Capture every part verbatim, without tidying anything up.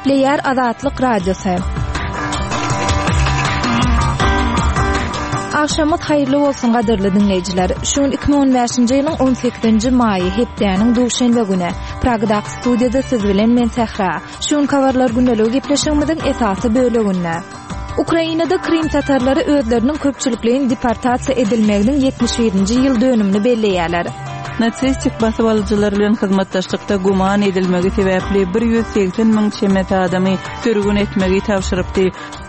Gepleýär Azatlyk Radiosy. Agşamyňyz haýyrly bolsun gadyrly diňleýjiler. Şu gün iki müň on bäşinji ýylyň on sekizinji maýy, hepdäniň duşenbe güni. Pragadaky studiýada siz bilen men Sähra. Şu gün habarlar gündeligi gepleşigimiziň esasy böleginde. Ukrainada Krym tatarlary özleriniň köpçülikleýin deportasiýa edilmeginiň ýetmiş birinji ýyl dönümini belleýärler. Natsistik basybalyjylar bilen hyzmatdaşlykda güman edilmegi sebäpli bir ýüz segsen müň çemesi adamy sürgün etmegi tabşyrypdy.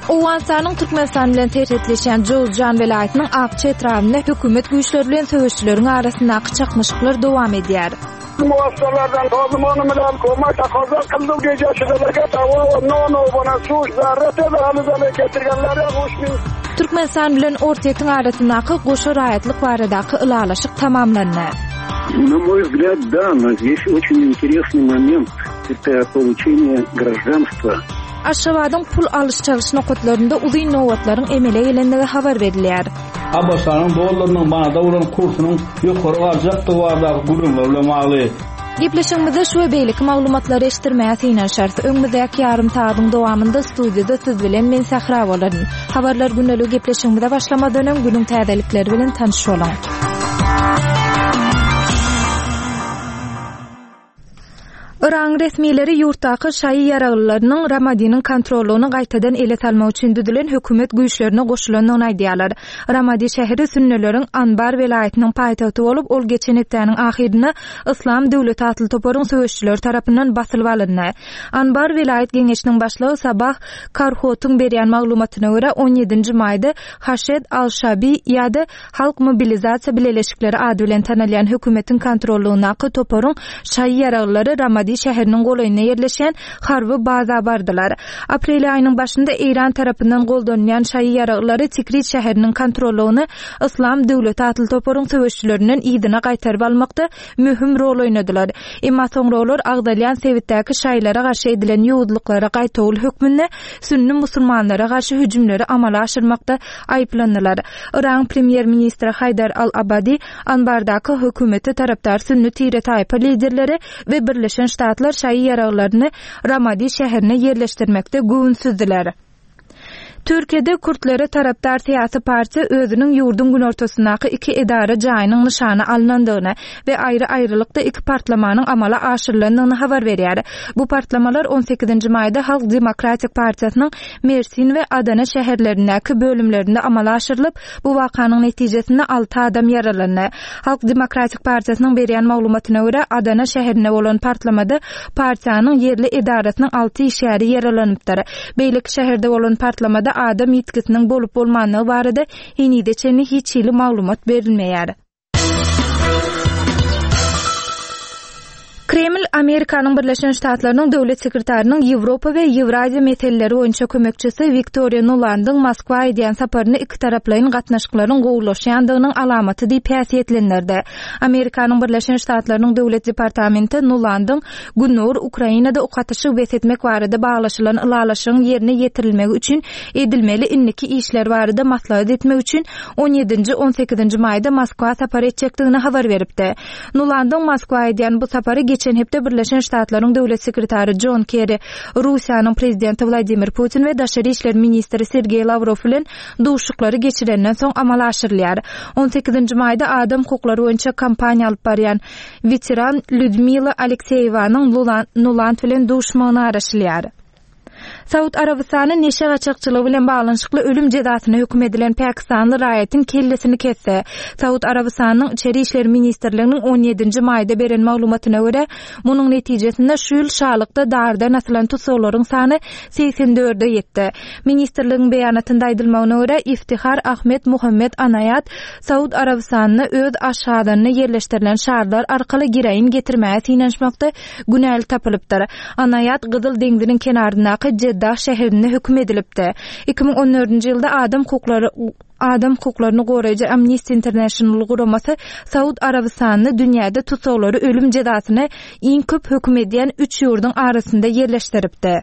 Owganystanyň Türkmenistan bilen serhetleşýän Jowzjan welaýatynyň Akça etrabynda hökümet güýçleri bilen söweşçileriň arasyndaky çaknyşyklar dowam edýär. Muasalardan tozumonu bilen koma takoza kıldı gece tawa no no bana su zarrete alı getirgenler uç bin. Türkmenistan bilen Orsýetiň arasyndaky goşa raýatlyk baradaky ylalaşyk tamamlandy. На мой взгляд, да, но здесь очень интересный момент. Это получение гражданства. Aşgabadyň pul alyş-çalyş nokatlarynda uzyn nobatlaryň emele gelendigi habar berilýär. A B Ş-nyň dollarynyň manada bolan kursunyň ýokary galjakdygy baradaky gürrüňler bilen bagly. Gepleşigimizde şu we beýleki maglumatlary eşitdirmäge synanyşarys. Öňümizdäki ýarym sagatyň dowamynda studiýada siz bilen men Sähra bolaryn. Habarlar gündelik gepleşigimize başlamadan öň günüň täzelikleri bilen tanyş boluň. Iran resmileri ýurtdaky şaýy ýaraglylarynyň Ramadiniň kontrollugyny gaýtadan ele salmak üçin düzülen hökümet güýçlerine goşulandygyny aýdýarlar. Ramadi şäheri sünnüleriň Anbar welaýatynyň paýtagty bolup, ol geçen hepdäniň ahyrynda Islam döwleti atly toparyň söweşçileri tarapyndan basylyp alyndy. Anbar welaýat geňeşiniň başlygy Sabah Karhotyň berýän maglumatyna görä on ýedinji maýda Haşed al-Şabi ýa-da Halk mobilizasiýa bileleşikleri ady bilen tanalýan hökümetiň kontrollugyndaky toparyň şaýy ýaraglylary Ramadi şäheriniň golaýynda ýerleşen harby baza bardylar. Aprel aýynyň başynda Eýran tarapyndan goldanýan şaýy ýaraglylary Tikrit şäheriniň kontrollugyny Islam döwleti atly toparyň söweşçilerinden yzyna gaýtaryp almakda möhüm rol oýnadylar. Emma soňra olar agdalýan sebitdäki şaýlara garşy edilen ýowuzlyklara gaýtawul hökmünde sünni musulmanlara garşy hüjümleri amala aşyrmakda aýyplandylar. Iran premýer-ministri Haýdar al-Abadi Anbardaky hökümeti tarapdar sünni tire taýpa liderleri we Birleşen Ştatlar şaýy ýaraglaryny Ramadi şäherine ýerleşdirmekde göwünsüzdiler. Türkiýede Kürtlere tarapdar syýasy partiýa özüniň ýurduň günortasyndaky iki edara jaýynyň nyşana alynandygyny we aýry-aýrylykda iki partlamanyň amala aşyrylandygyny habar berýär. Bu partlamalar on sekizinji maýda Halk Demokratik Partiýasynyň Mersin we Adana şäherlerindäki bölümlerinde amala aşyrylyp, bu wakanyň netijesinde alty adam ýaralandy. Halk Demokratik Partiýasynyň berýän maglumatyna görä Adana şäherinde bolan partlamada partiýanyň ýerli edarasynyň alty işgäri ýaralanypdyr. Beýleki şäherde bolan partlamada adam ýitgisiniň bolup bolmanlygy barada henide çenli hiç hili maglumat berilmeýär. Kreml Amerikanyň Birleşen Ştatlarynyň döwlet sekretarynyň Ýewropa we Ýewraziýa meseleleri boýunça kömekçisi Wiktoriýa Nulandyň Moskwa edýän saparyny iki taraplaýyn gatnaşyklaryň gowulaşýandygynyň alamaty diýip häsiýetlendirdi. Amerikanyň Birleşen Ştatlarynyň döwlet departamenti Nulandyň Gündogar Ukrainada ok atyşyk bes etmek barada baglaşylan ylalaşygyň ýerine ýetirilmegi üçin edilmeli indiki işler barada maslahat etmek üçin on ýedinji, on sekizinji maýda Moskwa sapar etjekdigini habar beripdi. Nulandyň Moskwa edýän bu sapary geçen hepde Birleşen Ştatlaryň döwlet sekretary John Kerry, Russiýanyň prezidenti Wladimir Putin we daşary işler ministri Sergey Lavrov bilen duşuşyklary geçirenden soň amala aşyrylýar. on sekizinji maýda adam hukuklary boýunça kampaniýa alyp barýan weteran Lyudmila Alekseýewanyň Nuland bilen duşmagyna garaşylýar. Saud Arabystany neşe gaçakçylygy bilen baglanyşykly ölüm jezasyna höküm edilen Pakistanly raýatyň kellesini kesdi. Saud Arabystanyň İçeri İşler Ministrliginiň on ýedinji maýda beren maglumatyna görä, munuň netijesinde şu ýyl şalykda dardan asylan tussaglaryň sany segsen dörde ýetdi. Ministrligiň beýanatynda aýdylmagyna görä, Iftihar Ahmed Muhammed Anaýat Saud Arabystanyna öz aşgazanyna ýerleşdirilen şarlar arkaly gireýin getirmäge synanyşmakda günäli tapylypdyr. Anaýat Gyzyl deňziniň kenaryndaky Jeddah şäherinde höküm edilipdi. iki müň on dördünji ýylda adam hukuklary adam hukuklaryny goraýjy Amnesty International guramasy Saud Arabystanyny dünýäde tutsaglary ölüm jezasyna iň köp höküm edýän üç ýurduň arasynda ýerleşdiripdi.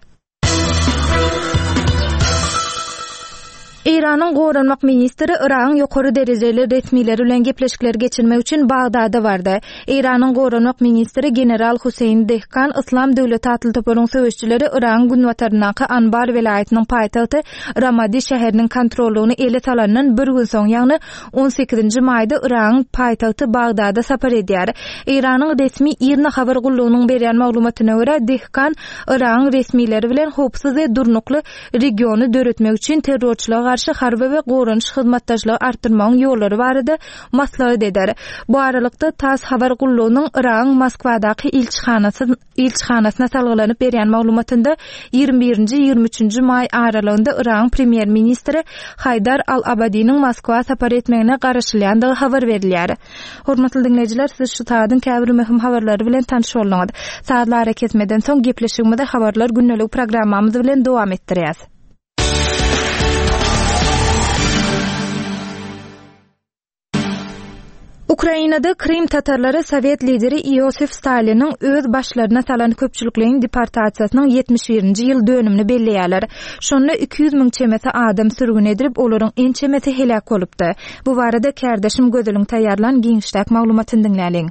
Eýranyň goranmak ministri Yragyň ýokary derejeli resmileri bilen gepleşikler geçirmek üçin Bagdada bardy. Eýranyň goranmak ministri general Huseýn Dehkan Yslam döwleti atly toparyň söweşijileri Yragyň günbataryndaky Anbar welaýatynyň paýtagty Ramadi şäheriniň kontrollygyny ele salandan bir gün soň, ýagny on sekizinji maýda Yragyň paýtagty Bagdada sapar edýär. Eýranyň resmi IRNA habar gullugynyň berýän maglumatyna görä, Dehkan Yragyň resmileri bilen howpsuz we durnukly regiony döretmek üçin terrorçylyga garşy harby we goranyş hyzmatdaşlygy artdyrmagyň ýollary barada maslahat eder. Bu aralykda TASS habar gullugynyň Yragyň Moskwadaky ilçihanasy, ilçihanasyna salgylanyp berýän maglumatynda ýigrimi birinji ýigrimi üçünji maý aralygynda Yragyň premýer-ministri Haýdar al-Abadiniň Moskwa sapar etmegine garaşylýandygy habar berilýär. Hormatly diňleýjiler, siz şu saadyň käbir möhüm habarlary bilen tanyş bolduňyz. Saatly ara kesmeden soň gepleşigimizi habarlar gündelik programmamyz bilen dowam etdirýäs. Ukrainada Krym tatarlary Sowet lideri Iosif Staliniň öz başlaryna salan köpçülikleýin deportasiýasynyň ýetmiş birinji ýyl dönümini belleýärler. Şonda iki ýüz müň çemesi adam sürgün edilip, olaryň ençemesi heläk bolupdy. Bu barada kärdeşim Gözeliň taýýarlan giňişdäki maglumatyny diňläliň.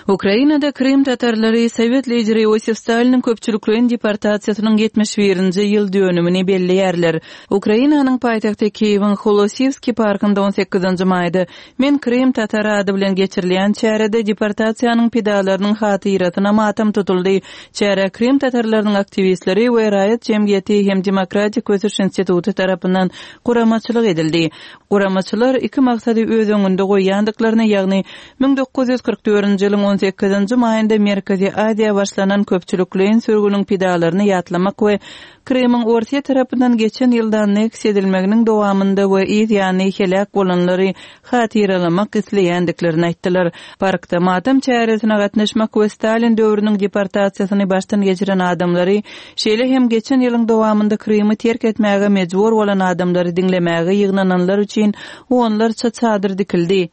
Ukrainada Krym tatarlary Sowet lideri Iosif Staliniň köpçülikleýin deportasiýasynyň ýetmiş birinji ýyl dönümini belleýärler. Ukrainanyň paýtagty Kiýewiň Holosivski parkynda on sekizinji maýda Men Krym tatary ady bilen geçirilýän çärede deportasiýanyň pidalarynyň hatyrasyna matam tutuldy. Çäre Krym tatarlarynyň aktiwistleri we raýat jemgyýeti hem Demokratik ösüş instituty tarapyndan guramaçylyk edildi. Guramaçylar iki maksady öz öňünde goýýandyklaryny, ýagny müň dokuz ýüz kyrk dördünji ýylyň on sekizinji maýynda Merkezi Aziýa başlanan köpçülikleýin sürgüniň pidalaryny ýatlamak we Krymyň Orsiýa tarapyndan geçen ýylda anneksiýa edilmeginiň dowamynda we yz ýany heläk bolanlary hatyralamak isleýändiklerini aýtdylar. Parkda matam çäresine gatnaşmak we Stalin döwrüniň deportasiýasyny başdan geçiren adamlary, şeýle hem geçen ýylyň dowamynda Krymy terk etmäge mejbur bolan adamlary diňlemäge ýygnananlar üçin onlarça çadyr dikildi.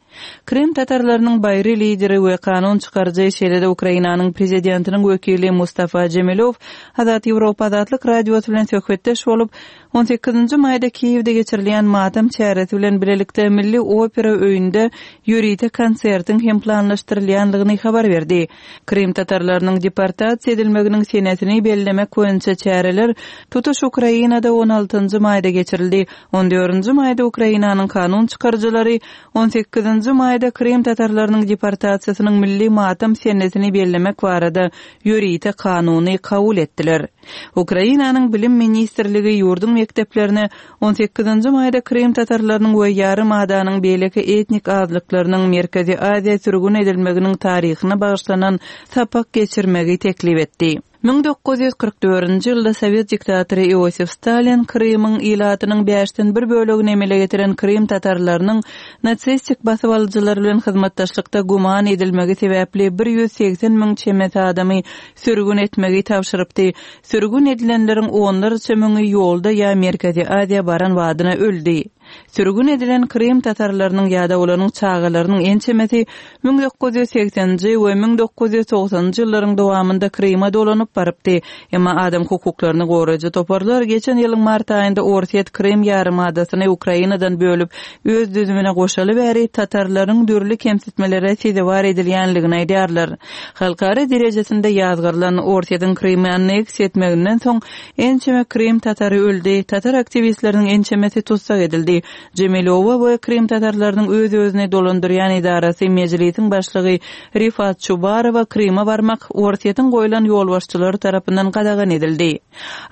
Krym tatarlarynyň baýry lideri we kanun çykaryjy, şeýle-de Ukrainanyň prezidentiniň wekili Mustafa Jemilow Azat Ýewropa Azatlyk Radiosy bilen söhbetdeş bolup, on sekizinji maýda Kiýewde geçirilýän matam çäresi bilen bilelikde Milli opera öýünde ýörite konsertiň hem planlaşdyrylýandygyny habar berdi. Krym tatarlarynyň deportasiýa edilmeginiň senesini bellemek boýunça çäreler tutuş Ukrainada on altynjy maýda geçirildi. On dördünji maýda Ukrainanyň kanun çykaryjylary on sekizinji maýda Krym tatarlarynyň deportasiýasynyň milli matam senesini bellemek barada ýörite kanuny kabul etdiler. Ukrainanyň Bilim Ministrligi ýurduň mekdeplerine on sekizinji maýda Krym tatarlarynyň we ýarym adanyň beýleki etnik azlyklarynyň Merkezi Aziýa sürgün edilmeginiň taryhyna bagyşlanan sapak geçirmegi teklip etdi. Müň dokuz ýüz kyrk dördünji ýylda Sowet diktatory Iosif Stalin Krymyň ilatynyň bäşden bir bölegini emele getiren Krym tatarlarynyň natsistik basyp alyjylar bilen hyzmatdaşlykda guman edilmegi sebäpli bir ýüz segsen müň çemesi adamy sürgün etmegi tabşyrypdy. Sürgün edilenleriň onlarça müňi ýolda ýa Merkezi Aziýa baran wadyna öldi. Sürgün edilen Krym tatarlarynyň ýa-da olaryň çagalarynyň ençemesi müň dokuz ýüz segsenji we müň dokuz ýüz togsanjy ýyllaryň dowamynda Kryma dolanyp barypdy. Emma adam hukuklaryny goraýjy toparlar geçen ýylyň mart aýynda Orsiýet Krym ýarymadasyny Ukrainadan bölüp öz düzümine goşaly bäri tatarlaryň dürli kemsitmelere sezewar edilýänligini aýdýarlar. Halkara derejesinde ýazgarylan Orsiýetiň Krymy anneksiýa etmeginden soň ençeme Krym tatary öldi, tatar aktiwistleriniň ençemesi tutsak edildi. Jemilowa we Krym tatarlarynyň öz-özüni dolandyrýan edarasy Mejlisiň başlygy Rifat Çubarowa Kryma barmak Orsiýetiň goýlan ýolbaşçylary tarapyndan gadagan edildi.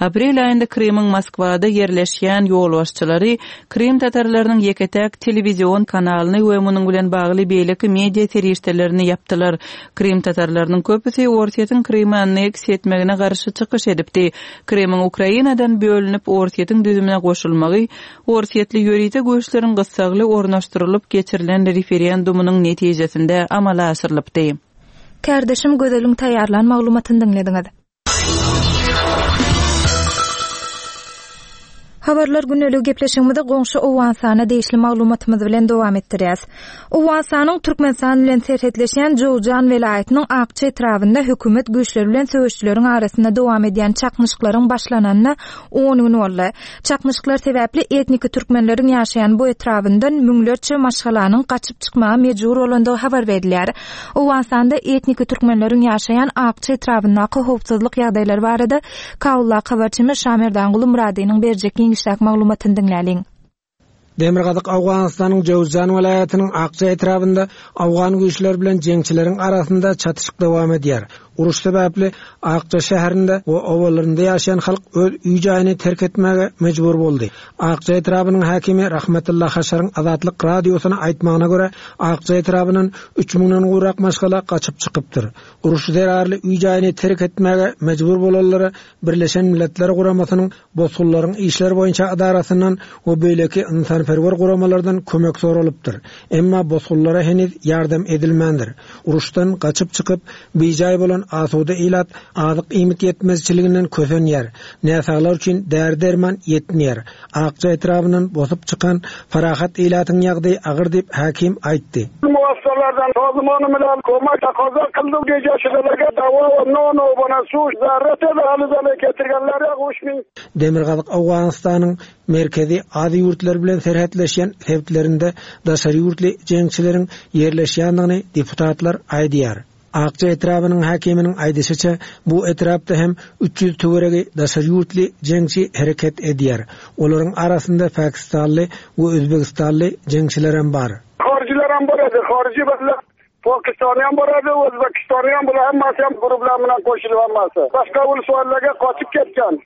Aprel aýynda Krymyň Moskwada ýerleşýän ýolbaşçylary Krym tatarlarynyň ýeke-täk telewizion kanalyny we munuň bilen bagly beýleki media serişdelerini ýapdylar. Krym tatarlarynyň köpüsi Orsiýetiň Krymy anneksiýa etmegine garşy çykyş edipdi. Krymyň Ukrainadan bölünip Orsiýetiň düzümine goşulmagy Orsiýetli ýörite güýçleriň gyssagly ornaşdyrylyp geçirilen referendumynyň netijesinde amala aşyrylypdy. Kärdeşim Gözeliň taýýarlan maglumatyny diňlediňiz. Habarlar günlük gepleşigimizi goňşy Owganystana degişli maglumatymyz bilen dowam etdirýäs. Owganystanyň Türkmenistan bilen serhetleşýän Jowzjan welaýatynyň Akça etrabynda hökümet güýçleri bilen söweşçileriň arasynda dowam edýän çaknyşyklaryň başlananyna on gün boldy. Çaknyşyklar sebäpli etniki türkmenleriň ýaşaýan bu etrabyndan müňlerçe maşgalanyň gaçyp çykmaga mejbur bolandygy habar berilýär. Owganystanda etniki türkmenleriň ýaşaýan Akça etrabyndaky howpsuzlyk ýagdaýlary barada Kabuldaky habarçymyz Şamerdanguly Muradynyň berjek giňişräk maglumatyny diňläliň. Demirgazyk Owganystanyň Jowzjan welaýatynyň Akça etrabynda Owgan güýçleri bilen jeňçileriň arasynda çatyşyk dowam edýär. Uruş sebäpli Akça şäherinde we obalarynda ýaşaýan halk öz öý jaýyny terk etmäge mejbur boldy. Akça etrabynyň häkimi Rahmetullah Haşaryň Azatlyk radiosyna aýtmagyna görä, Akça etrabyndan üç müňden gowrak maşgala gaçyp çykypdyr. Uruş zerarly öý jaýyny terk etmäge mejbur bolanlara Birleşen Milletler Guramasynyň bosgunlaryň işleri boýunça edarasyndan we beýleki ynsanperwer guramalardan kömek soralypdyr. Emma bosgunlara heniz ýardam edilmändir. Uruşdan gaçyp çykyp, bijaý bolan asuda ilat azyk iýmit ýetmezçiliginden kösenýär. Näsaglar üçin däri-derman ýetmeýär. Akça etrabyndan bosup çykan Farahat ilatyň ýagdaýy agyr diýip hakim aýtdy. Muassalardan tozumany bilen kömek takaza kyldy gecesilerge dava nono bana su zarrete ve halızalı getirgenlere uç müň. Demirgazyk Owganystanyň merkezi Aziýa ýurtlary bilen serhetleşýän sebitlerinde daşary ýurtly jeňçileriň ýerleşýändigini deputatlar aýdýar. Akça etrabynyň häkiminiň aýdyşyça, bu etrapda hem üç ýüz töweregi daşary ýurtly jeňçi hereket edýär. Olaryň arasynda Pakistanly we Özbegistanly jeňçiler hem bar. Harijiler hem bar edi, harici bilen Pakistani hem bar edi, Özbekistani hem bular hammasi ham guruhlar bilan qo'shilib hammasi. Boshqa uluslarga qochib ketgan.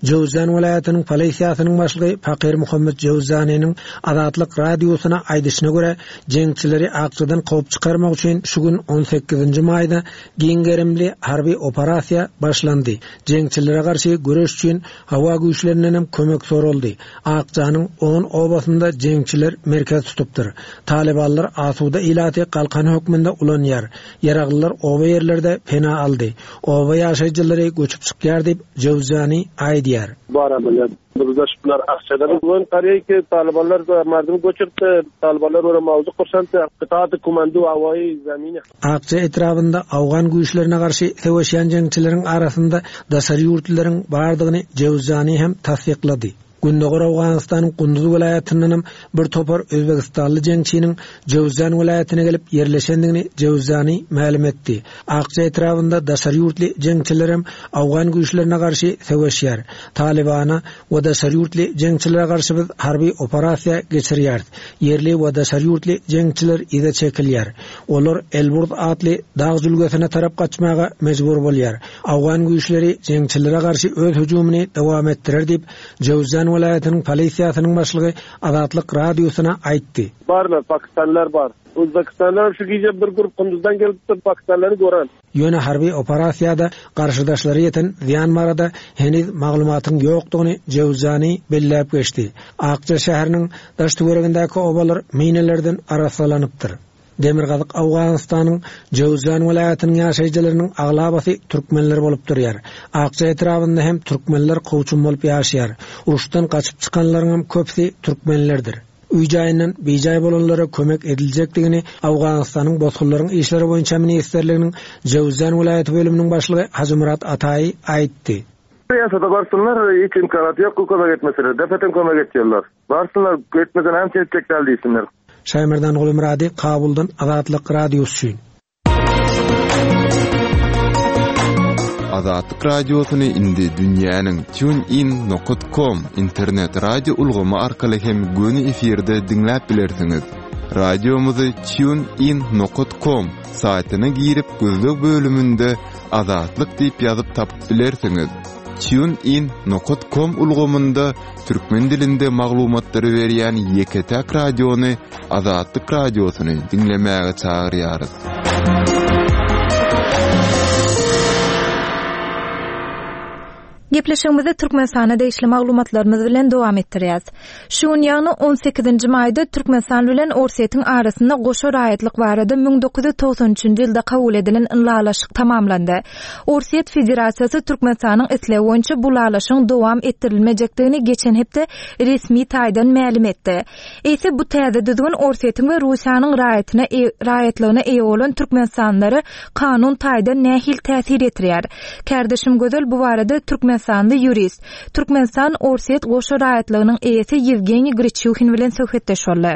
Jowzjan welaýatynyň polisiýasynyň başlygy Fakir Muhammed Jowzjanynyň Azatlyk radiosyna aýdyşyna görä, jeňçileri Akçadan kowup çykarmak üçin şu gün on sekizinji maýda giň gerimli harby operasiýa başlandy. Jeňçilere garşy göreş üçin hawa güýçlerinden hem kömek soraldy. Akçanyň on obasynda jeňçiler merkez tutupdyr. Talibanlar asuda ilaty galkan hökmünde ulanýar. Ýaraglylar oba ýerlerde pena aldy. Oba ýaşaýjylary göçüp çykýar diýip Jowzjany aýdýar. Bar ameliyat. Bizler Akçada bugün qarayki ki Talibanlar mardum göçürdi. Talibanlar ora mavzu qursandı. Qıtaat komando havai zamini. Akça etrabında Afgan güýçlerine garşy söweşýän jeňçileriň arasynda daşary ýurtlaryň bardygyny Jowzjany hem tassyklady. Gündogar Owganystanyň Gunduz welaýatyndan hem bir topar Özbegistanly jeňçiniň Jowzjan welaýatyna gelip ýerleşendigini Jowzjany mälim etdi. Akça etrabynda daşary ýurtly jeňçiler hem Afgan güýçlerine garşy söweşýär. Talibana we daşary ýurtly jeňçilere garşy biz harby operasiýa geçirýäris. Ýerli we daşary ýurtly jeňçiler yza çekilýär. Olar Elburz atly dag jülgesine tarap gaçmaga mejbur bolýar. Afgan güýçleri jeňçilere garşy öz hüjümini dowam etdirer diýip Jowzjan welaýatynyň polisiýasynyň başlygy Azatlyk radiosyna aýtdy. Barlar, Pakistanlar bar. Özbekistanlar şu gije bir grup Kunduzdan gelip Pakistanlary gören. Ýöne harby operasiýada garşydaşlary ýeten ziýan barada heniz maglumatyň ýokdugyny Jowzjany belläp geçdi. Akça şäheriniň daş töweregindäki obalar minelerden arassalanypdyr. Demirgazyk Owganystanyň Jowzjan welaýatynyň ýaşaýjylarynyň aglabasy türkmenler bolup durýar. Akça etrabynda hem türkmenler kowçum bolup ýaşaýar. Uruşdan gaçyp çykanlaryň hem köpüsi türkmenlerdir. Öý jaýyndan bijaý bolanlara kömek ediljekdigini Owganystanyň bosgunlaryň işleri boýunça ministrliginiň Jowzjan welaýaty bölüminiň başlygy Hajymyrat Ataý aýtdy. Piyasada barsınlar, hiç imkanat yok, kömek etmeseler. Defeten kömek etýärler. Barsınlar, etmesen hem çekjekler diýsinler. Şaýmerdan Gulmurady, Kabuldan Azatlyk Radiosy üçin. Azatlyk Radiosyny indi dünýäniň TuneIn nokta com internet radio ulgamy arkaly hem göni efirde diňläp bilersiňiz. Radiomyzy TuneIn nokta com saýtyna girip gözleg bölüminde Azatlyk diýip ýazyp tapyp bilersiňiz. TuneIn nokta com ulgamynda türkmen dilinde maglumatlary berýän ýeke-täk radiony Azatlyk Radiosyny diňlemäge çagyrýarys. Gepleşigimizi Türkmenistana degişli maglumatlarymyz bilen dowam etdirýäs. Şu gün ýagny on sekizinji maýda Türkmenistan bilen Orsýetiň arasynda goşa raýatlyk barada müň dokuz ýüz togsan üçünji ýylda kabul edilen ylalaşyk tamamlandy. Orsýet Federasiýasy Türkmenistanyň islegi boýunça bu ylalaşygyň dowam etdirilmejekdigini geçen hepde resmi taýdan mälim etdi. Eýse bu täze düzgün Orsýetiň we Russiýanyň raýatyna e-, raýatlygyna eýe bolan Türkmenistanlylara kanun taýdan nähili täsir ýetirýär? Kärdeşim Gözel bu barada Türkmenistanly ýurist, Türkmenistan Orsýet goşa raýatlygynyň eýesi Ýewgeniý Griçuhin bilen söhbetdeş boldy.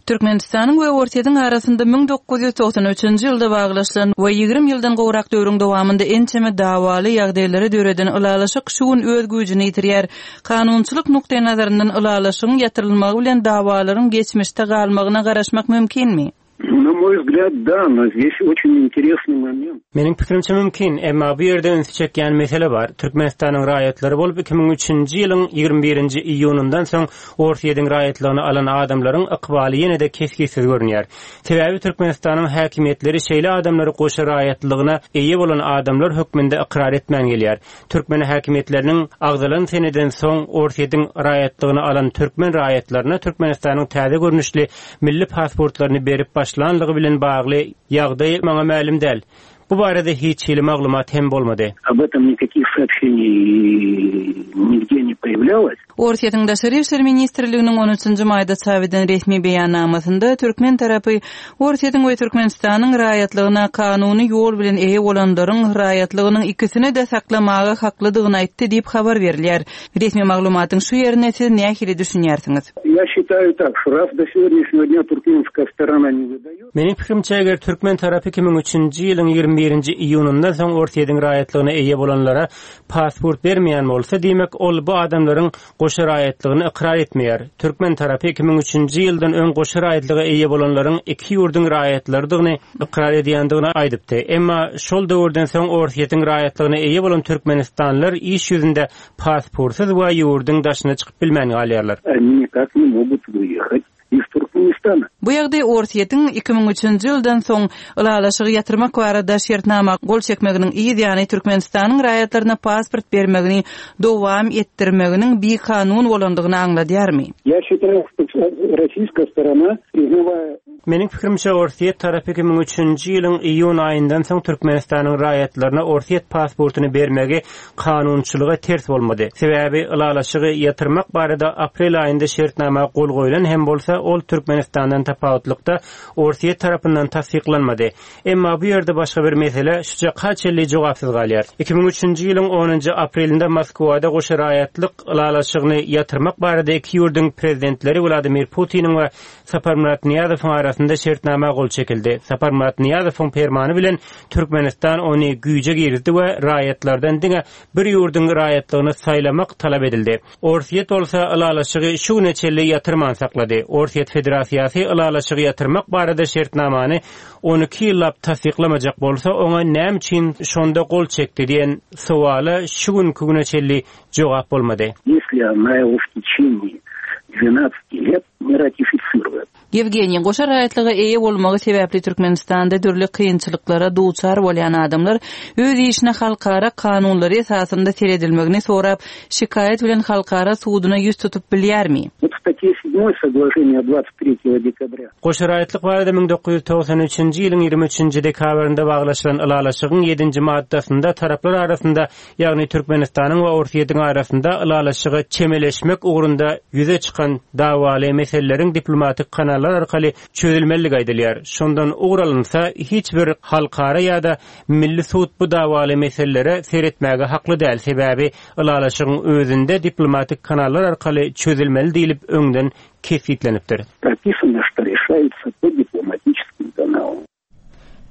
Türkmenistanyň we Orsýetiň arasynda müň dokuz ýüz togsan üçünji ýylda baglaşylan we ýigrimi ýyldan gowrak döwrüň dowamynda ençeme dawaly ýagdaýlary döreden ylalaşyk şu gün öz güýjüni ýitirýär. Kanunçylyk nukdaý nazaryndan ylalaşygyň ýatyrylmagy bilen dawalaryň geçmişde galmagyna garaşmak mümkinmi? На мой взгляд, да, но здесь очень интересный момент. Meniň pikirimçe mümkin, emma bu ýerde ünsi çekýän mesele bar. Türkmenistanyň raýatlary bolup iki müň üçünji ýylyň ýigrimi birinji iýunyndan soň Orsýetiň raýatlygyny alan adamlaryň ykbaly ýene-de kesgitsiz görünýär. Sebäbi Türkmenistanyň häkimiýetleri şeýle adamlary goşa raýatlygyna eýe bolan adamlar hökmünde ykrar etmän gelýär. Türkmen häkimiýetleriniň agzalan seneden soň Orsýetiň raýatlygyny alan türkmen raýatlaryna Türkmenistanyň täze görnüşli milli pasportlaryny berip başlanlygy bilen bagly ýagdaý maňa mälim däl. Bu barada hiç hili maglumat hem bolmady. Об этом никаких сообщений нигде не появлялось. Orsýetiň Daşary işler ministrliginiň on üçünji maýda çap eden resmi beýannamasynda türkmen tarapy Orsýetiň we Türkmenistanyň raýatlygyna kanuny ýol bilen eýe bolanlaryň raýatlygynyň ikisini de saklamaga haklydygyny aýtdy diýip habar berilýär. Resmi maglumatyň şu ýerine siz nähili düşünýärsiňiz? Я считаю так, что раз до сегодняшнего дня туркменская сторона не выдает. Meniň pikirimçe eger türkmen tarapy iki müň üçünji ýylyň ýigrimi birinji iýunyndan soň Orsýetiň raýatlygyna eýe bolanlara pasport bermeýän bolsa, diýmek ol bu adamlaryň goşa raýatlygyny ykrar etmeýär. Türkmen tarapy iki müň üçünji ýyldan öň goşa raýatlyga eýe bolanlaryň iki ýurduň raýatlarydygyny ykrar edýändigini aýdypdy. Emma şol döwürden soň Orsýetiň raýatlygyna eýe bolan Türkmenistanlylar iş ýüzünde pasportsyz we ýurduň daşyna çykyp bilmän galýarlar. Они никак не могут выехать из Туркменистана. Bu ýagdaý Orsýetiň iki müň üçünji ýyldan soň ylalaşygy ýatyrmak barada şertnama gol çekmeginiň yz ýany Türkmenistanyň raýatlaryna pasport bermegini dowam etdirmeginiň bikanun bolandygyny aňladýarmy? Я считаю, что российская сторона, признавая Meniň pikirimçe Orsýet tarapy iki müň üçünji ýylyň iýun aýyndan soň Türkmenistanyň raýatlaryna Orsýet pasportyny bermegi kanunçylyga ters bolmady. Sebäbi ylalaşygy ýatyrmak barada aprel aýynda şertnama gol goýlan hem bolsa ol Türkmenistandan tapawutlykda Orsýet tarapyndan tassyklanmady. Emma bu ýerde başga bir mesele şu çaka jogapsyz galýar. Iki müň üçünji ýylyň onunjy aprelinde Moskwada goşa raýatlyk ylalaşygyny ýatyrmak barada iki ýurduň prezidentleri Wladimir Putiniň we Saparmurat Niýazowyň arasynda şertnama gol çekildi. Saparmurat Niýazowyň permany bilen Türkmenistan ony güýje girdi we raýatlardan diňe bir ýurduň raýatlygyny saýlamak talap edildi. Orsýet bolsa ylalaşygy şu güne çenli ýatyrman saklady. Orsýet Federasiýasy ylalaşygy ýatyrmak barada şertnamany on iki ýyllap tassyklamajak bolsa, oňa näme üçin şonda gol çekdi diýen sowala şu günkü güne çenli jogap bolmady. Если она его в течение двенадцати лет не ратифицирует. Ýewgeniý, goşa raýatlyga eýe bolmagy sebäpli Türkmenistanda dürli kynçylyklara duçar bolýan adamlar öz işine halkara kanunlary esasynda seredilmegini sorap, şikaýat bilen halkara suduna ýüz tutup bilýärmi? Вот в статье седьмой соглашения двадцать третьего декабря. Goşa raýatlyk barada müň dokuz ýüz togsan üçünji ýylyň ýigrimi üçünji dekabrynda baglaşylan ylalaşygyň ýedinji maddasynda taraplar arasynda, ýagny Türkmenistanyň we Orsýetiň arasynda ylalaşyga çemeleşmek ugrunda ýüze çykan dawaly meseleleriň diplomatik kanallar arkaly çözülmeligi aýdylýar. Şondan ugralynsa hiç bir halkara ýa-da milli sud bu dawaly meselelere seretmäge hakly däl. Sebäbi ylalaşygyň özünde diplomatik kanallar arkaly çözülmeli diýilip öňden kesgitlenipdir. Прописано, что решается по дипломатическим каналам.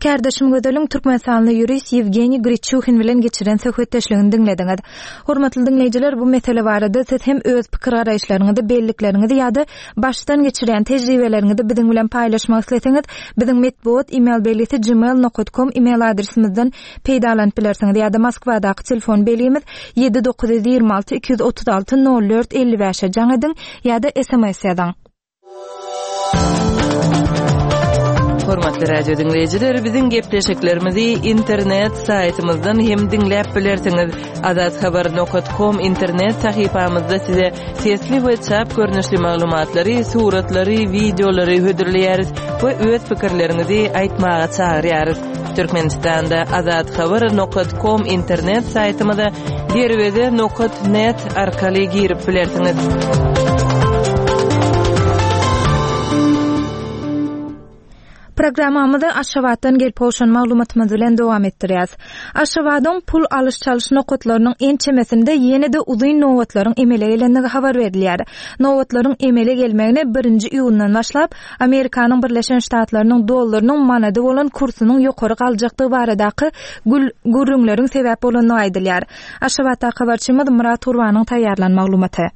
Kärdeşim Gözeliň Türkmenistanly ýurist Ýewgeniý Griçuhin bilen geçiren söhbetdeşligini diňlediňiz. Hormatly diňleýjiler, bu mesele barada siz hem öz pikir garaýyşlaryňyzy, bellikleriňizi ýa-da başdan geçiren tejribeleriňizi biziň bilen paýlaşmak isleseňiz, biziň metbugat e-mail belgisi gmail nokta com e-mail adresimizden peýdalanyp bilersiňiz ýa-da Moskwadaky telefon belgimiz ýedi dokuz ýüz ýigrimi alty iki ýüz otuz alty nol dört elli bäşe jaň ediň ýa-da S M S ýazyň. Hormatly radio diňleýjiler, biziň gepleşiklerimizi internet saýtymyzdan hem diňläp bilersiňiz. Azathabar.com internet sahypamyzda size sesli we çap görnüşli maglumatlary, suratlary, wideolary hödürleýäris we öz pikirleriňizi aýtmaga çagyrýarys. Türkmenistanda azathabar.com internet saýtymyza derweze.net arkaly girip bilersiňiz. Programmamyzy Aşgabatdan gelip gowşan maglumatymyz bilen dowam etdirýäs. Aşgabadyň pul alyş-çalyş nokatlarynyň ençemesinde ýene-de uzyn nobatlaryň emele gelendigi habar berilýär. Nobatlaryň emele gelmegine birinji iýundan başlap Amerikanyň Birleşen Ştatlarynyň dollarynyň manady bolan kursunyň ýokary galjakdygy baradaky gül gürrüňleriň sebäp bolandygy aýdylýar. Aşgabatda habarçymyz Murat Gurbanyň taýýarlan maglumaty.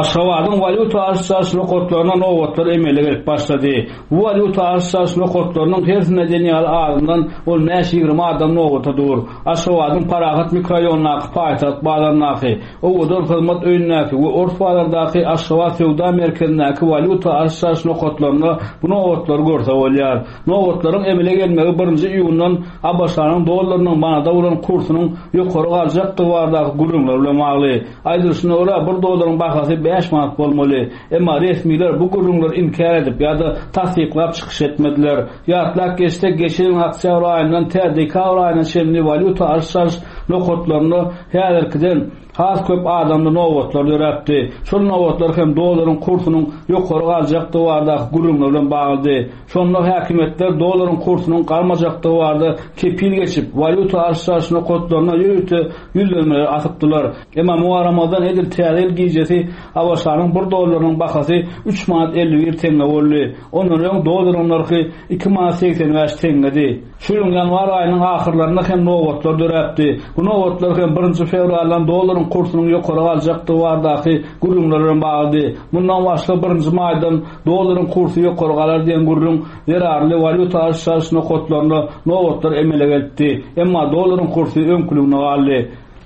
Aşgabadyň walýuta alyş-çalyş nokatlaryna nobatlar emele gelip başlady. Bu walýuta alyş-çalyş nokatlarynyň hersinde diýen ýaly azyndan on bäş ýigrimi adam nobata dur. Aşgabadyň Parahat mikroraýonyndaky paýtagt bazaryndaky, Owadan hyzmat öýündäki we Ors bazardaky Aşgabat söwda merkezindäki walýuta alyş-çalyş nokatlarynda bu nobatlary görse bolýar. Nobatlaryň emele gelmegi birinji iýundan ABŞ-nyň dollarynyň manada bolan kursunyň ýokary galjakdygy baradaky gürrüňler bilen bagly. Aýdylyşyna görä bir dollaryň bahasy bäş manat bolmaly. Emma resmiler bu gürrüňleri inkär edip ýa-da tassyklap çykyş etmediler. Ýatlap geçse, geçen ýylyň oktýabr aýyndan tä dekabr aýyna çenli walýuta alyş-çalyş nokatlarynda häzirkiden has köp adamda nobatlar döräpdi. Şol nobatlar hem dollaryň kursunyň ýokary galjakdygy baradaky gürrüňler bilen baglydy. Şonda häkimiýetler dollaryň kursunyň galmajakdygy barada kepil geçip, walýuta alyş-çalyş nokatlaryna ýörite ýüzlenmeler atypdylar. Emma muaramazdan edil täze ýyl gijesi ABŞ-nyň bir dollarynyň bahasy üç manat elli bir tenge boldy. Ondan öň dollaryň nyrhy iki manat segsen bäş tengedi. Şu ýylyň ýanwar aýynyň ahyrlarynda hem nobatlar döräpdi. Bu nobatlar hem birinji fewraldan dollaryň kursunyň ýokary galjakdygy baradaky gürrüňler bilen baglydy. Mundan başga birinji maýdan dollaryň kursy ýokary galar diýen gürrüň zerarly walýuta alyş-çalyş nokatlarynda nobatlar emele gelipdi. Emma dollaryň kursy öňküligine galdy.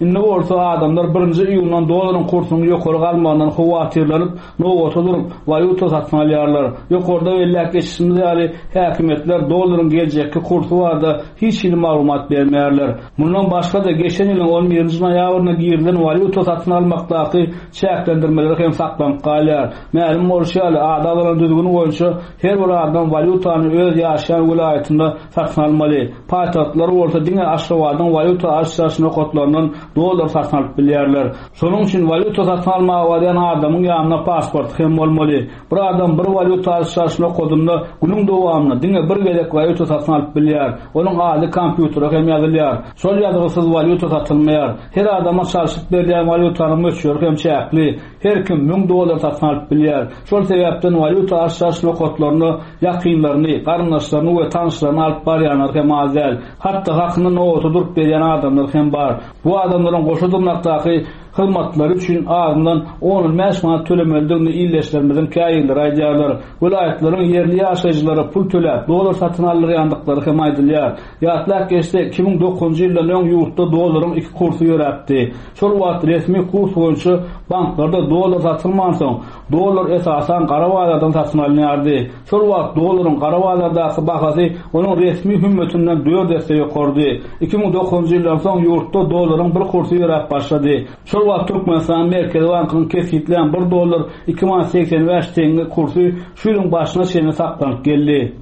Indi bolsa adamlar birinji iýundan dollaryň kursunyň ýokary galmagyndan howatyrlanyp, nobata durup, walýuta satyn alýarlar. Ýokarda belläp geçişimiz ýaly, häkimiýetler dollaryň geljekki kursy barada hiç hili maglumat bermeýärler. Mundan başga-da geçen ýylyň on birinji noýabrynda girilen walýuta satyn almakdaky çäklendirmeler hem saklanyp galýar. Mälim bolşy ýaly, ada bolan düzgün boýunça her bir adam walýutany öz ýaşaýan welaýatynda satyn almaly. Paýtagtlar bolsa diňe Aşgabadyň walýuta alyş-çalyş nokatlaryndan dollar satyn alyp bilýärler. Şonuň üçin walýuta satyn almaga barýan adamyň ýanynda pasport hem bolmaly. Bir adam bir walýuta alyş-çalyş nokadynda günüň dowamynda diňe bir gezek walýuta satyn alyp bilýär. Onuň ady kompýutere hem ýazylýar. Şol ýazgysyz walýuta satylmaýar. Her adama çalşyp berilýän walýutanyň möçberi hem çäkli. Her kim müň dollar satyn alyp bilýär. Şol sebäpden walýuta alyş-çalyş nokatlaryna ýakynlaryny, garyndaşlaryny we tanyşlaryny alyp barýanlar hem az däl. Hatda hakyny nobata durup berýän adamlar hem bar. Bu adamlaryň goşa dyrnakdaky hyzmatlary üçin azyndan on bäş manat tölemelidigini illeşlerimiziň käýirleri aýdýarlar. Welaýatlaryň ýerli ýaşaýjylary pul töläp, dollar satyn aldyrýandyklary hem aýdylýar. Ýatlap geçse, iki müň dokuzynjy ýyldan öň ýurtda dollaryň iki kursy ýöräpdi. Şol wagt resmi kurs boýunça banklarda dollar satylmansoň, dollar esasan gara bazardan satyn alynýardy. Şol wagt dollaryň gara bazardaky bahasy onuň resmi hümmetinden dört esse ýokardy. Iki müň dokuzynjy ýyldan soň ýurtda dollaryň bir kursy ýöräp başlady. Şol wagt Türkmenistan Merkezi Bankynyň kesgitlän bir dollar iki manat segsen bäş tenge kursy şu ýylyň başyna çenli saklanyp geldi.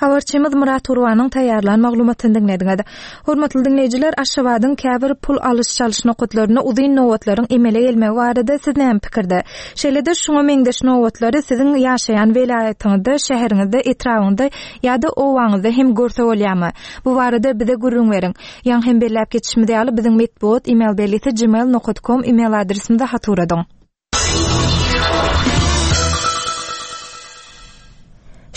Habarçymyz Murat Gurbanyň taýýarlan maglumatyny diňlediňiz. Hormatly diňleýjiler, Aşgabadyň käbir pul alyş-çalyş nokatlarynda uzyn nobatlaryň emele gelmegi barada siz näme pikirde? Şeýle-de şuňa meňzeş nobatlary siziň ýaşaýan welaýatyňyzda, şäheriňizde, etrabyňyzda ýa-da owaňyzda hem görse bolýarmy? Bu barada bize gürrüň beriň. Ýaň hem belläp geçişimiz ýaly biziň metbugat e-mail belgisi gmail nokta com e-mail adresimize hat ugradyň.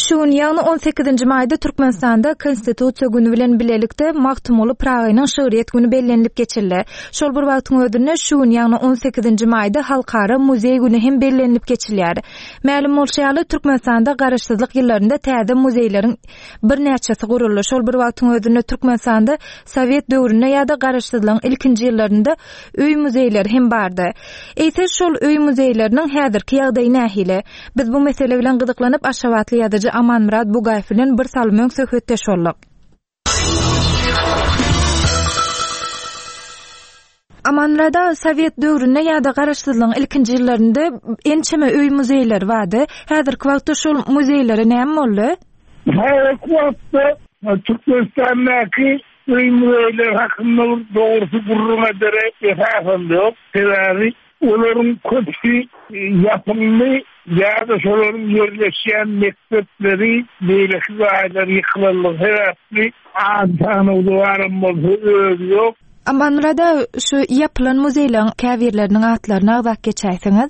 Şu gün ýagny on sekizinji maýda Türkmenistanda Konstitusiýa günü bilen bilelikde Magtymguly Pyragynyň şygryýet günü bellenilip geçildi. Şol bir wagtyň özünde şu gün ýagny on sekizinji maýda Halkara muzeý günü hem bellenilip geçilýär. Mälim bolşy ýaly Türkmenistanda garaşsyzlyk ýyllarynda täze muzeýleriň birnäçesi guruldy. Şol bir wagtyň özünde Türkmenistanda Sowet döwründe ýa-da garaşsyzlygyň ilkinji ýyllarynda öý muzeýleri hem bardy. Eýse şol öý muzeýleriniň häzirki ýagdaýy nähili? Biz bu mesele bilen gyzyklanyp Aşgabatly ýazyjy Amanmyrat Bugaýew bilen bir salym öň söhbetdeş bolduk. Amanmyrada Sowet döwründe ýa-da garaşsyzlygyň ilkinji ýyllarynda ençeme öý muzeýleri bardy. Häzirki wagtda şol muzeýlere näme boldy? Häzirki wagtda Türkmenistandaky öý muzeýleri hakynda dogrusu gürrüň edere esasam ýok. Sebäbi olaryň köpüsi ýapyldy ýa-da şolaryň ýerleşýän mekdepleri, beýleki jaýlar ýykylanlygy sebäpli az sanawda baram bolsa özi ýok. Amanmyrada şu ýapylan muzeýleriň käbirleriniň atlaryny agzap geçäýseňiz?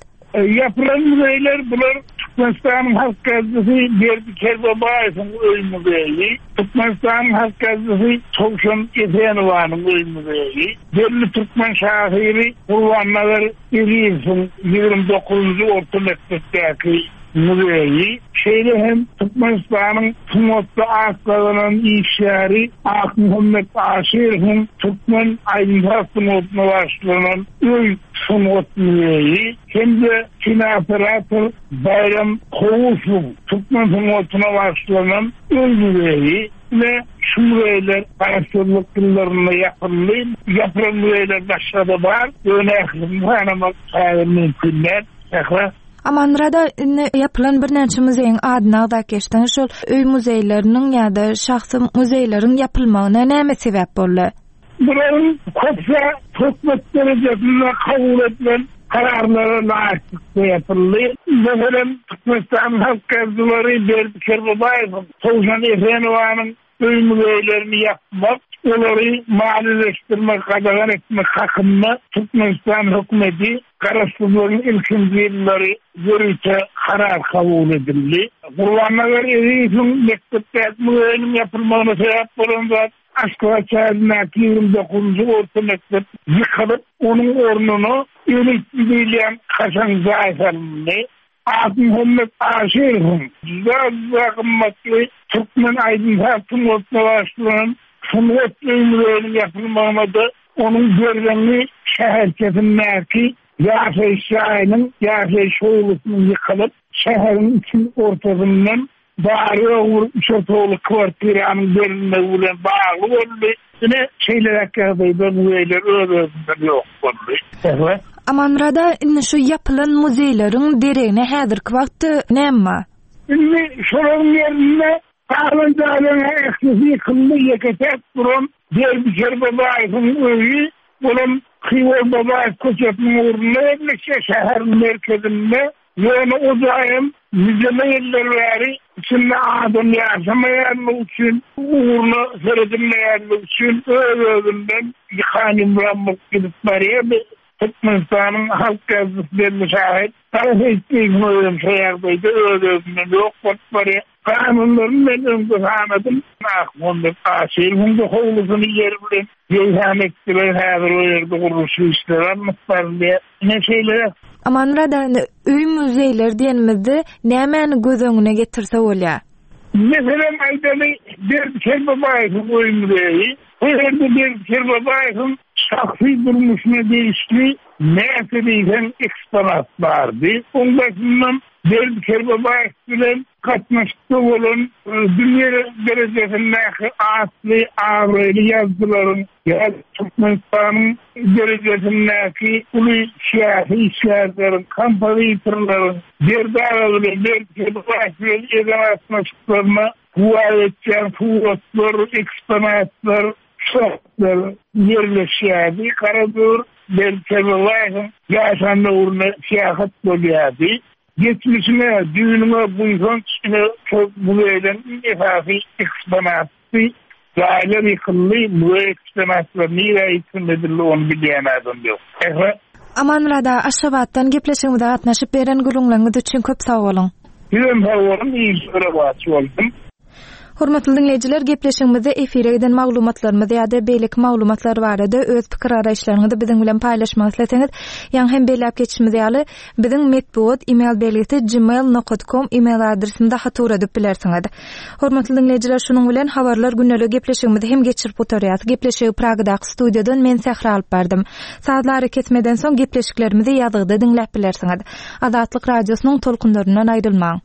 Ýapylan muzeýler bular Türkmenistanyň Halk Gazetesi Berdi Kerbabaýewiň öý muzeýi, Türkmenistanyň Halk Gazetesi Towşan Esenowanyň öý muzeýi, belli türkmen şahyry Gurbannazar Ezizowyň ýigrimi dokuzynjy orta mekdepdäki muzeýi, şeýle hem Türkmenistanyň sungatda at gazanan işgäri Akmuhammet Aşyrowyň Türkmen aýdym-saz sungatyna bagyşlanan öý sungat muzeýi hem-de kinooperator Baýram Kowusowyň Türkmen sungatyna bagyşlanan öý muzeýi we şu muzeýler garaşsyzlyk ýyllarynda ýapyldy. Ýapylan muzeýler başga-da bar. Ýöne ählisini sanamak häzir mümkin däl. Sähra. Amanmyrada indi ýapylan birnäçe muzeýiň adyny agzap geçdiňiz. Şol öý muzeýleriniň ýa-da şahsy muzeýleriň ýapylmagyna näme sebäp boldy? Bularyň köpüsi hökümet derejesinde kabul edilen kararlara laýyklykda ýapyldy. Meselem, Türkmenistanyň Halk Gazetleri Berdi Kerbabaýewiň, Towşan Esenowanyň öý muzeýlerini ýapmak, olary maliýeleşdirmek, gadagan etmek hakynda Türkmenistan hökümeti garaşsyzlygyň ilkinji ýyllary ýörite karar kabul edildi. Gurbannazar Ezizowyň mekdepdäki muzeýiniň ýapylmagyna sebäp bolan zat Aşgabat şäherindäki ýigrimi dokuzynjy orta mekdep ýykylyp, onuň ornuna elitli diýilýän kaşaň jaý salyndy. Akmuhammet Aşyrowyň juda gymmatly Türkmen aýdym-saz sungatyna bagyşlanan sungat öý muzeýiniň ýapylmagyna-da onuň Berzeňňi şäherçesindäki ýaşaýyş jaýynyň ýaşaýyş howlusynyň ýykylyp, şäheriň içiň ortasyndan bary bir üç otagly kwartiranyň berilmegi bilen bagly boldy. Ine şeýleräk ýagdaýda muzeýler öz-özünden ýok boldy. Sähra. Amanmyrada indi şu ýapylan muzeýleriň deregine häzirki wagtda näme bar? Indi şolaryň ýerinde galan jaýlaryň ählisi ýykyldy, ýeke-täk duran Berdi Kerbabaýewiň öýi bolan Hywa Babaýew köçesiniň ugrunda ýerleşýär, şäheriň merkezinde. Ýöne o jaýam nijeme ýyllar bäri içinde adam ýaşamaýanlygy üçin, ugruna seredilmeýänligi üçin öz-özünden ýykan ýumran bolup gidip barýardy. Türkmenistanyň Halk Gazetesi belli şahyr Gara Seýitliýewiň özem şo ýagdaýda öz-özünden ýok bolup barýar. Kanunlaryny men öňde sanadym. Akmuhammet Aşyrowyň da howlusyny ýer bilen ýegsan etdiler. Häzir o ýerde gurluşyk işleri alnyp barylýar. Ine şeýle. Amanmyrada indi öý muzeýleri diýenimizde nämäni göz öňüne getirse bolýar? Meselem aýdaly Berdi Kerbabaýewiň öý muzeýi. Bu ýerde Berdi Kerbabaýewiň şahsy durmuşyna degişli näçe diýseň eksponat bardy. Oň başyndan Berdi Kerbabaýew bilen gatnaşykda bolan dünýä derejesindäki atly abraýly ýazyjylaryň ýa Türkmenistanyň derejesindäki uly syýasy işgärleriň, kompozitorlaryň Berdi aga bilen Berdi Kerbabaýew bilen eden gatnaşyklaryna güwä geçýän suratlar, eksponatlar, şahslar ýerleşýärdi. Garadür Berdi Kerbabaýewiň ýaşan döwründe syýahat bolýardy. Geçmişine, düýnüňe buýsanç ine şol muzeýden iň esasy eksponatdy. Jaýlar ýykyldy, muzeý eksponatlary nirä ýitirim edildi ony bilýän adam ýok. Sähra. Amanmyrada Aşgabatdan gepleşigimize gatnaşyp beren gürrüňleriňiz üçin köp sag boluň. Sizem sag boluň, işlere baş bolsun. Hormatly dinleýjiler, gepleşigimizde efire giden maglumatlarymyz ýa-da beýleki maglumatlar barada öz pikir garaýyşlaryňyzy biziň bilen paýlaşmak isleseňiz, ýaňy hem belläp geçişimiz ýaly, biziň metbugat e-mail belgisi gmail nokta com e-mail adresimize hat ugradyp bilersiňiz. Hormatly dinleýjiler, şunuň bilen habarlar gündelik gepleşigimizi hem geçirip gutarýarys. Gepleşigi Pragadaky studiýadan men Sähra alyp bardym. Sazlary kesmeden soň gepleşiklerimizi ýazgyda diňläp bilersiňiz. Azatlyk radiosynyň tolkunlaryndan aýrylmaň.